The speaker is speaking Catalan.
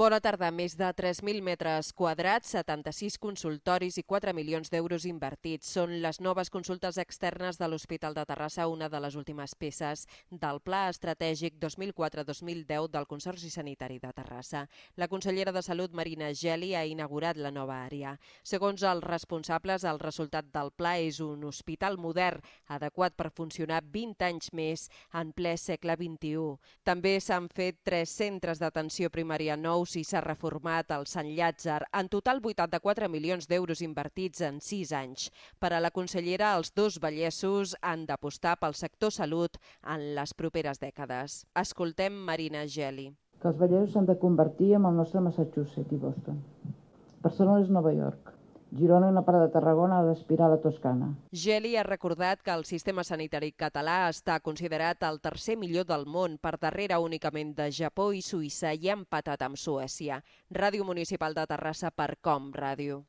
Bona tarda. Més de 3.000 metres quadrats, 76 consultoris i 4 milions d'euros invertits. Són les noves consultes externes de l'Hospital de Terrassa, una de les últimes peces del Pla Estratègic 2004-2010 del Consorci Sanitari de Terrassa. La consellera de Salut, Marina Geli, ha inaugurat la nova àrea. Segons els responsables, el resultat del pla és un hospital modern, adequat per funcionar 20 anys més en ple segle XXI. També s'han fet 3 centres d'atenció primària nous i s'ha reformat el Sant Llàtzer. En total, 84 milions d'euros invertits en 6 anys. Per a la consellera, els dos Vallesos han d'apostar pel sector salut en les properes dècades. Escoltem Marina Geli. Que els Vallesos s'han de convertir en el nostre Massachusetts i Boston. Barcelona és Nova York. Girona i una part de Tarragona ha d'aspirar a la Toscana. Geli ha recordat que el sistema sanitari català està considerat el tercer millor del món, per darrere únicament de Japó i Suïssa, i ha empatat amb Suècia. Ràdio Municipal de Terrassa per Com Ràdio.